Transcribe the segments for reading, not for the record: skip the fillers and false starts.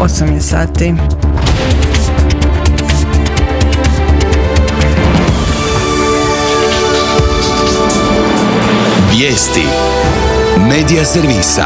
8 je sati. Vijesti Medija servisa.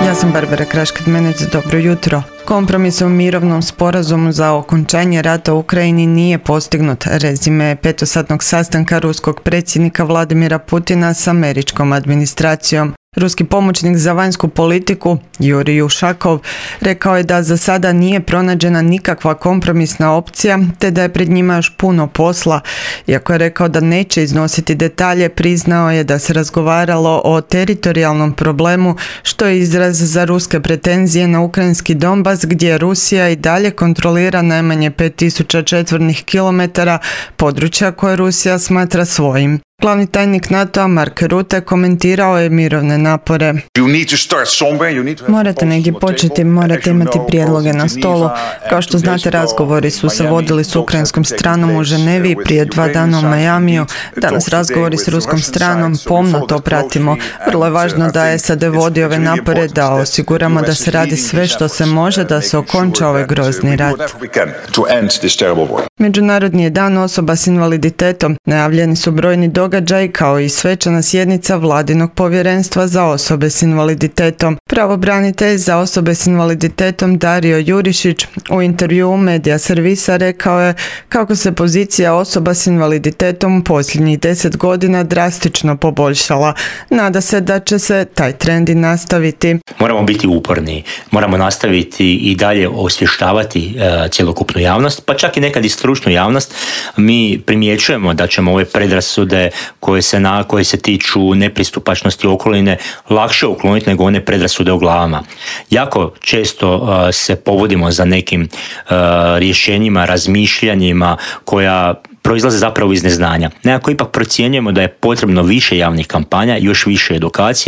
Ja sam Barbara Kraškat-Menec, dobro jutro. Kompromis o mirovnom sporazumu za okončanje rata u Ukrajini nije postignut, rezime petosatnog sastanka ruskog predsjednika Vladimira Putina s američkom administracijom. Ruski pomoćnik za vanjsku politiku, Jurij Ušakov, rekao je da za sada nije pronađena nikakva kompromisna opcija, te da je pred njima još puno posla. Iako je rekao da neće iznositi detalje, priznao je da se razgovaralo o teritorijalnom problemu, što je izraz za ruske pretenzije na ukrajinski Donbas, gdje Rusija i dalje kontrolira najmanje 5000 četvornih kilometara područja koje Rusija smatra svojim. Glavni tajnik NATO-a Mark Rutte komentirao je mirovne napore. Morate negdje početi, morate imati prijedloge na stolu. Kao što znate, razgovori su se vodili s ukrajinskom stranom u Ženevi prije 2 dana u Majamiju. Danas razgovori s ruskom stranom, pomno to pratimo. Vrlo je važno da SAD vodi ove napore, da osiguramo da se radi sve što se može da se okonča ovaj grozni rat. Međunarodni je dan osoba s invaliditetom. Najavljeni su brojni događaji kao i svečana sjednica Vladinog povjerenstva za osobe s invaliditetom. Pravobranitelj za osobe s invaliditetom Dario Jurišić u intervjuu Medija servisa rekao je kako se pozicija osoba s invaliditetom posljednjih 10 godina drastično poboljšala. Nada se da će se taj trend i nastaviti. Moramo biti uporni, moramo nastaviti i dalje osvještavati cjelokupnu javnost, pa čak i nekad i stručnu javnost. Mi primjećujemo da ćemo ove predrasude koje se tiču nepristupačnosti okoline lakše ukloniti nego one predrasude u glavama. Jako često se povodimo za nekim rješenjima, razmišljanjima koja proizlaze zapravo iz neznanja. Nekako ipak procjenjujemo da je potrebno više javnih kampanja, još više edukacije,